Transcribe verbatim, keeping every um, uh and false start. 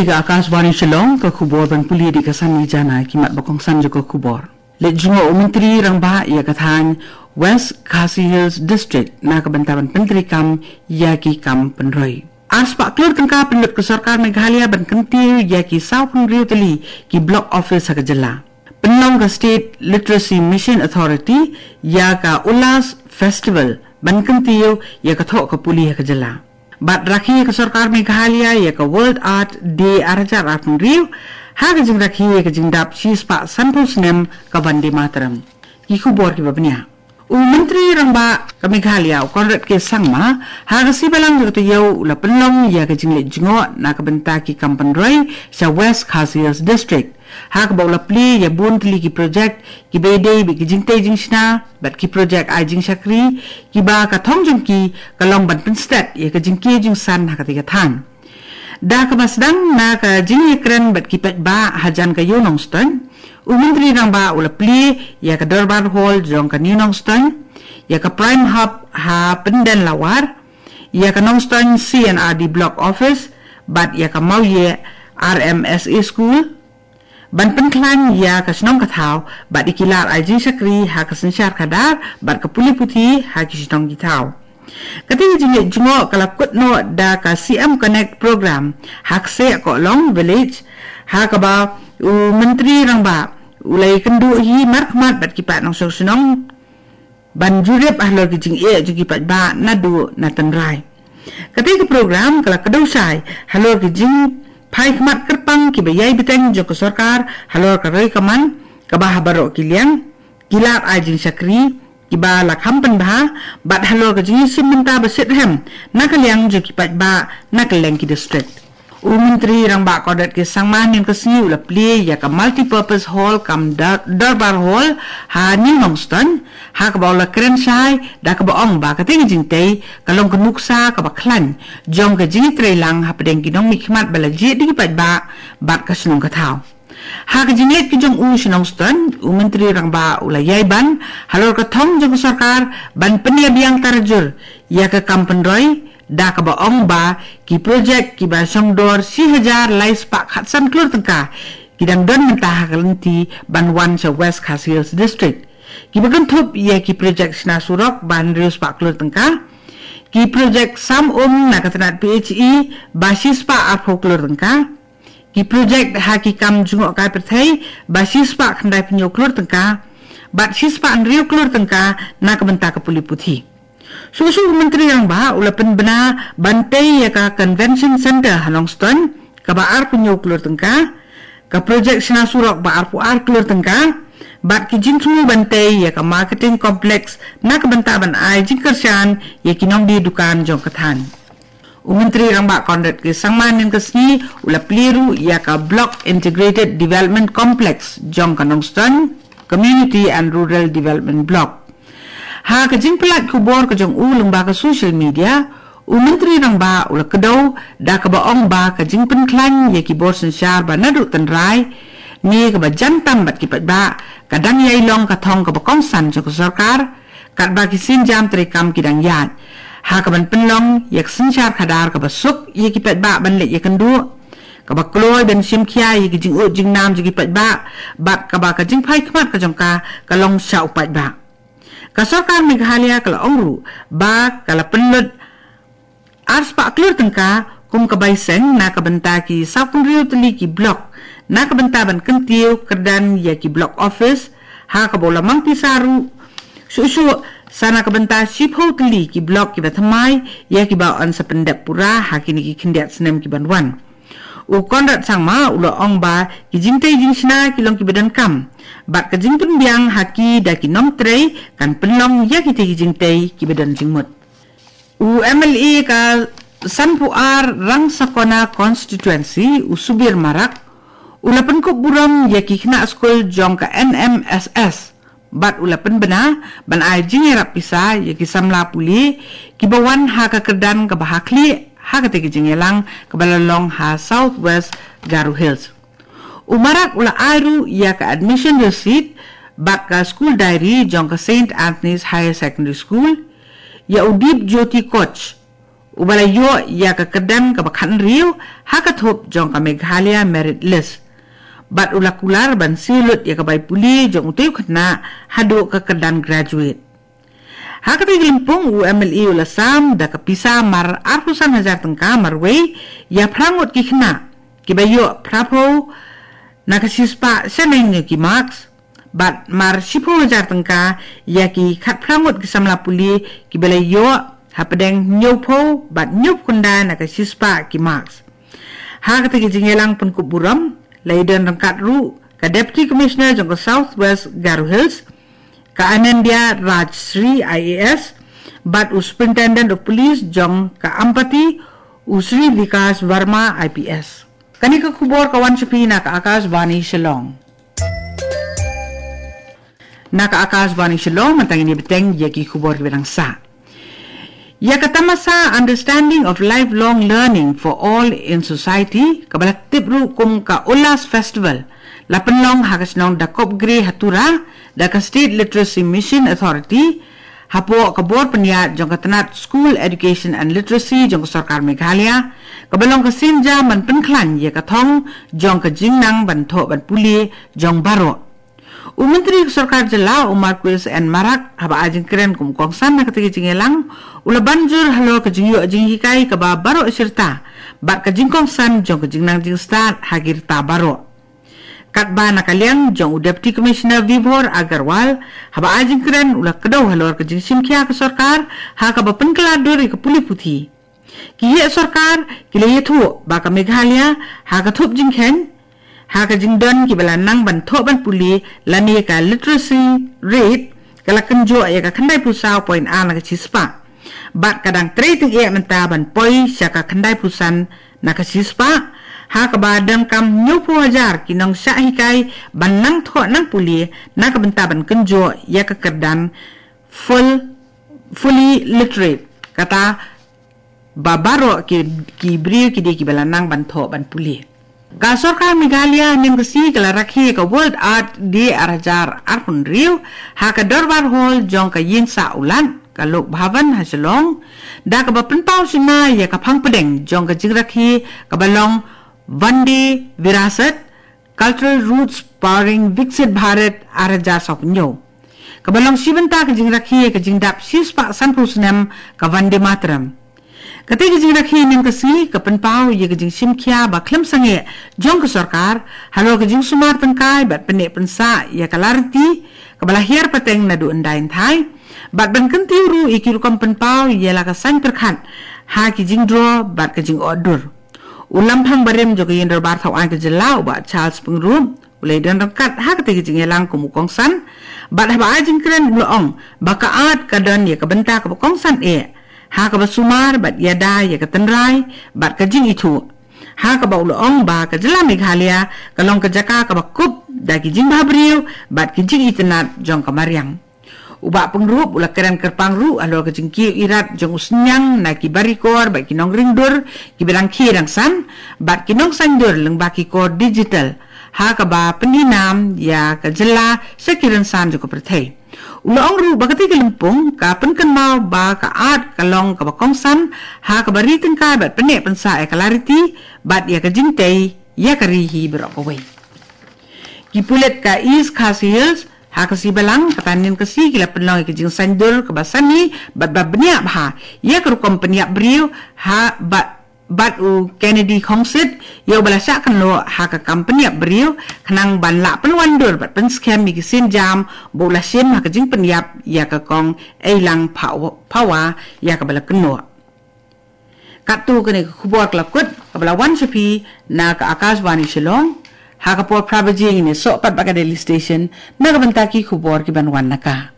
Ka Akashvani Shillong, ka khubor ban pule da ka Sanjana, ki mat ba kongsan jong ka khubor. Leit jngoh u Myntri Rangbah ïa ka thaiñ West Khasi Hills District na ka bynta ban pyntreikam ïa ki kam pynroi. Arspah klur tyngka pynlut ka sorkar Meghalaya ban kyntiew ïa ki sawphew hynriew tylli ki block office ha ka jylla. Pynlong ka State Literacy Mission Authority ïa ka Ullas Festival ban kyntiew ïa ka thoh ka pule ha ka jylla. Bad rakhe ka sorkar Meghalaya ïa ka World Earth Day ar hajar arphew hynriew ha ka jingrakhe ïa ka jingdap shispah sanphew snem ka Vande Mataram. Ki khubor kiba bniah. U Myntri Rangbah ka Meghalaya, u Conrad K Sangma, ha ka sngi Balang jong ka taïew u la pynlong ïa ka jingleit jngoh na ka bynta ki kam pynroi sha West Khasi Hills District. Ha kaba u la plie ïa bun tylli ki projek kiba ïadei bad ki jingtei jingshna bad ki projek ai jingshakri kiba ka thong jong ki ka long ban pynstet ïa ka jingkiew jingsan ha katei ka thaiñ. Da kaba sdang na ka jingïakren bad ki paidbah hajan ka Ïew Nongstoiñ, u Myntri Rangbah u la plie ïa ka Dorbar Hall jong ka New Nongstoiñ, ïa ka Prime Hub ha Pyndenlawar, ïa ka Nongstoiñ C and R D Block Office, bad ïa ka Mawïeh R M S A School, ban pynkhlaiñ ïa ka shnong ka thaw bad ïa ki lad ai jingshakri ha ka synshar khadar bad ka pule puthi ha ki shnong ki thaw. Katei ka jingleit jngoh ka la kut noh da ka C M Connect Program ha Kseh Kohlong Village, ha kaba u Myntri Rangbah u la ïakynduh hi markhmat bad ki paid nongshong shnong ban jurip halor ki jingeh jong ki paidbah naduh na tynrai. Katei ka program ka la kdew shai halor ki jingphai khmat kyrpang kiba ïai bteng jong ka sorkar halor ka roi ka man, kaba ha baroh ki liang ki lad ai jingshakri kiba la kham pynbha, bad halor ka jingïashim bynta ba shitrhem na ka liang jong ki paidbah na kylleng ki district. U Myntri Rangbah Conrad K Sangma hynnin ka sngi u la plie ïa ka Multipurpose Hall kam Dar-, Dorbar Hall ha New Nongstoiñ, ha kaba u la kren shai da kaba ong ba katei ka jingtei ka long ka nuksa kaba khlaiñ jong ka jingïatreilang hapdeng ki nongmihkhmat ba la jied da ki paidbah bad ka shnong ka thaw. Ha ka jingleit ka jong u sha Nongstoiñ, u Myntri Rangbah u la ïai ban halor ka thong jong ka sorkar ban pynïabiang tarajur ïa ka kam pynroi, da kaba ong ba ki projek kiba shongdor shi hajar lai spah khatsan klur tyngka ki dang don mynta ha ka lynti ban wan sha West Khasi Hills District, kiba kynthup ïa ki projek shna surok ba hynriew spah klur tyngka, ki projek sam um na ka tnat P H E ba shi spah arphew klur tyngka, ki projek ha ki kam jngohkai pyrthei ba shi spah khyndai phew hynñiew klur tyngka, bad shi spah hynriew klur tyngka na ka bynta ka pule puthi. Shuh shuh u Myntri Rangbah u la pynbna ban tei ïa ka Convention Centre ha Nongstoiñ kaba arphew hynñiew klur tyngka, ka projek shna surok ba arphew ar klur tyngka, bad ki jingthmu ban tei ïa ka Marketing Complex na ka bynta ban ai jingkyrshan ïa ki nongdie dukan jong ka thaiñ. U Myntri Rangbah Conrad K Sangma hynnin ka sngi u la plie ruh ïa ka Block Integrated Development Complex jong ka Nongstoiñ Community and Rural Development Block. Ha ka jingpyllait khubor ka jong u lyngba ka social media, u Myntri Rangbah u la kdew da kaba ong ba ka jingpynkhlaiñ ïa ki bor synshar ba naduh tynrai ne kaba jan tam bad ki paidbah ka dang ïai long ka thong kaba kongsan jong ka sorkar, katba ki sienjam treikam ki dang ïaid, ha kaban pynlong ïa ka synshar khadar kaba suk ïa ki paidbah ban leit ïakynduh, kaba kloi ban shim khia ïa ki jingud jingnam jong ki paidbah, bad kaba ka jingphai khmat ka jong ka ka long sha u paidbah. Ka sorkar Meghalaya ka la ong ruh ba ka la pynlut ar spah klur tyngka kum ka bai seng na ka bynta ki sawphew hynriew tylli ki block na ka bynta ban kyntiew kyrdan ïa ki block office, ha kaba u la mang pisa ruh shuh shuh sa na ka bynta shiphew tylli ki block kiba thymmai ïa kiba yn sa pyndep pura ha kine ki khyndiat snem kiban wan. U Conrad Sangma u la ong ba ki jingtei jingshna ki long kiba donkam, bad ka jingpynbiang ha ki da ki nongtrei kan pynlong ïa kitei ki jingtei kiba don jingmut. U M L A ka sanphew ar Rangsakona Constituency, u Subir Marak, u la pynkup burom ïa ki khynnah skul jong ka N M S S, bad u la pynbna ban ai jingïarap pisa ïa ki samla pule kiba wan ha ka kyrdan kaba ha khlieh ha katei ka jingïalang kaba la long ha South West Garo Hills. U Marak u la ai ruh ïa ka admission receipt bad ka school diary jong ka Saint Anthony's Higher Secondary School ïa u Deep Jyoti Koch, uba la ïoh ïa ka kyrdan kaba khathynriew ha ka thup jong ka Meghalaya Merit List. Bad u la kular ban siew lut ïa ka bai pule jong utei u khynnah haduh ka kyrdan graduate. Ha katei ka lympung u M L A u la sam da ka pisa mar arphew san hajar tyngka marwei ïa phra ngut ki khynnah kiba ïoh phraphew na ka shispah shaneng ïa ki marks. Bad mar shiphew hajar tyngka ïa ki khatphra ngut ki samla pule kiba la ïoh hapdeng hynñiewphew bad hynñiewphew khyndai na ka shispah ki marks. Ha katei ka jingïalang pynkup burom la ïadon ryngkat ruh ka Deputy Commissioner jong ka South West Garo Hills, ka Anandya Rajshri I A S, bad u Superintendent of Police jong ka Ampati, u Sri Vikas Verma I P S. Kane ka khubor ka wan sha phi na ka Akashvani Shillong. Na ka Akashvani Shillong, mynta ngin ïa bteng ïa ki khubor kiba dang sah. Ïa ka tamasa Understanding of Lifelong Learning for All in Society, kaba la tip ruh kum ka Ullas Festival, la pynlong ha ka shnong Dakopgre ha Tura da ka State Literacy Mission Authority, hapoh ka bor pynïaid jong ka tnat School Education and Literacy jong ka Sorkar Meghalaya, kaba long ka sienjam ban pynkhlaiñ ïa ka thong jong ka jingnang ban thoh ban pule jong baroh. U Myntri ka Sorkar Jylla u Marcuise N Marak, haba ai jingkren kum u kongsan ha katei ka jingïalang, u la ban jur halor ka jingïoh jinghikai kaba baroh shirta bad ka jingkongsan jong ka jingnang jingstad ha ki rta baroh. Katba na ka liang jong u Deputy Commissioner Vibhor Agarwal, haba ai jingkren u la kdew halor ka jingshimkhia ka sorkar ha kaba pynkylla dur ïa ka pule puthi. Ki heh sorkar ki la ïathuh ba ka Meghalaya ha ka thup jingkheiñ ha ka jingdon kiba la nang ban thoh ban pule lane ka literacy rate ka la kynjoh ïa ka khyndai phew saw point ar na ka shispah. Bad ka dang trei tyngeh mynta ban poi sha ka khyndai phew san na ka shispah, ha kaba donkam hynñiewphew hajar ki nongshah hikai ban nang thoh nang pule na ka bynta ban kynjoh ïa ka kyrdan full, fully literate, kata ba baroh ki, ki briew ki dei kiba la nang ban thoh ban pule. Ka Sorkar Meghalaya mynta ka sngi ka la rakhe ka World Earth Day ar hajar arphew hynriew ha ka Dorbar Hall jong ka Ïingsah U Lat, ka Lok Bhavan ha Shillong, da kaba pynpaw shynna ïa ka phang pdeng jong ka jingrakhe kaba long Vande Virasat, Cultural Roots Powering Viksit Bharat ar hajar saw phew hynñiew, kaba long shi bynta ka jingrakhe ka jingdap shispah sanphew snem ka Vande Mataram. Katei ka jingrakhe mynta ka sngi ka pynpaw ïa ka jingshimkhia ba khlem sangeh jong ka sorkar halor ka jingsumar tyngkai bad pynneh pynsah ïa ka lariti kaba la hiar pateng naduh hyndai hynthai, bad ban kyntiew ruh ïa ki rukom pynpaw ïa la ka saiñ pyrkhat ha ki jingdro bad ka jingotdur. U Lamphang Barim jong ka Ïing Dorbar Thaw Aiñ ka Jylla, u Bah Charles Pyngrope, u la ïadon ryngkat ha katei ka jingïalang kum u kongsan, bad haba ai jingkren u la ong ba ka art ka don ïa ka bynta kaba kongsan eh ha kaba sumar bad ïada ïa ka tynrai bad ka jingithuh, ha kaba u la ong ba ka Jylla Meghalaya ka long ka jaka kaba kup da ki jingbhabriew bad ki jingitynnad jong ka mariang. U Bah Pyngrope u la kren kyrpang ruh halor ka jingkiew irat jong u Sniang na ki barikor bad ki nongringdur kiba dang khie dang san bad ki nongsaiñdur lyngba ki kor digital, ha kaba pyni nam ïa ka jylla sha ki rynsan jong ka pyrthei. U la ong ruh ba katei ka lympung ka pynkynmaw ba ka art ka long kaba kongsan ha kaba ri tyngkai bad pynneh pynsah ïa ka lariti bad ïa ka jingtei ïa ka ri hi baroh kawei. Ki pulit ka East Khasi Hills ha ka sngi Balang kata mynta ka sngi ki la pynlong ïa ka jingsaiñdur kaba sani bad ba bniah bha ïa ka rukom pynïap briew ha bad, bad u Kennedy Khongsit, ïa uba la shah kynnoh ha ka kam pynïap briew, khnang ban lah pynwandur bad pynskhem ïa ki sienjam ba u la shim ha ka jingpynïap ïa ka kong Eilang Phawa, Phawa ïa kaba la kynnoh. Katto kane ka khubor ka la kut kaba la wan sha phi na ka Akashvani Shillong. Ha ka por phra baje ngin ïasoh pat bad ka Delhi Station na ka bynta ki khubor ki ban wan na ka.